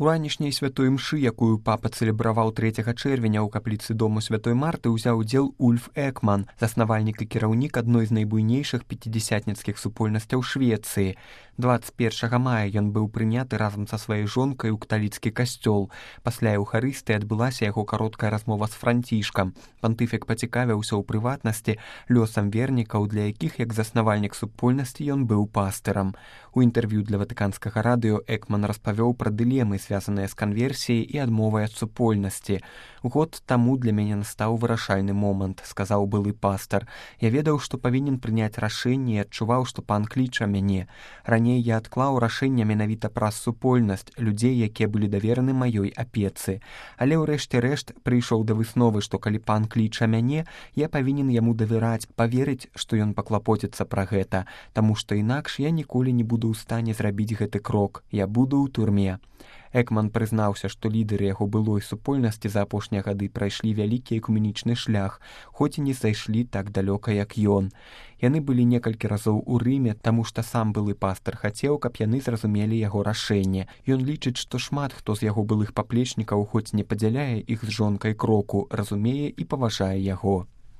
У ранішняй святой імшы, якую папа цэлебраваў 3 чэрвеня ў капліцы дому святой Марты, узяў удзел Ульф Экман, заснавальнік і кіраўнік адной з найбуйнейшых пяцідзясятніцкіх супольнасцяў Швецыі. 21 мая ён быў прыняты разам са сваёй жонкай у каталіцкі касцёл. Пасля Еўхарыстыі адбылася яго кароткая размова з Францішкам. Пантыфік пацікавіўся ў прыватнасці лёсам вернікаў, для якіх як заснавальнік супольнасці ён быў пастырам. У інтэрв'ю для ватыканскага радыё Экман распавёў пра дылемы, звязаныя з канверсіяй і адмовай ад супольнасці. Год таму для мяне настаў вырашальны момант, сказаў былы пастар. Я ведаў, што павінен прыняць рашэнне і адчуваў, што пан кліча мяне. Раней я адклаў рашэнне менавіта праз супольнасць, людзей, якія былі давераны маёй апецы. Але ў рэшце рэшт прыйшоў да высновы, што калі пан кліча мяне, я павінен яму давяраць, паверыць, што ён паклапоціцца пра гэта, таму што інакш я ніколі не буду ў стане зрабіць гэты крок, я буду ў турме. Экман прызнаўся, што лідары яго былой супольнасці за апошнія гады прайшлі вялікі экуменічны шлях, хоць і не зайшлі так далёка, як ён. Яны былі некалькі разоў у Рыме, таму што сам былы пастар хацеў, каб яны зразумелі яго рашэнне. Ён лічыць, што шмат хто з яго былых паплечнікаў, хоць не падзяляе іх з жонкай кроку, разумее і паважае яго.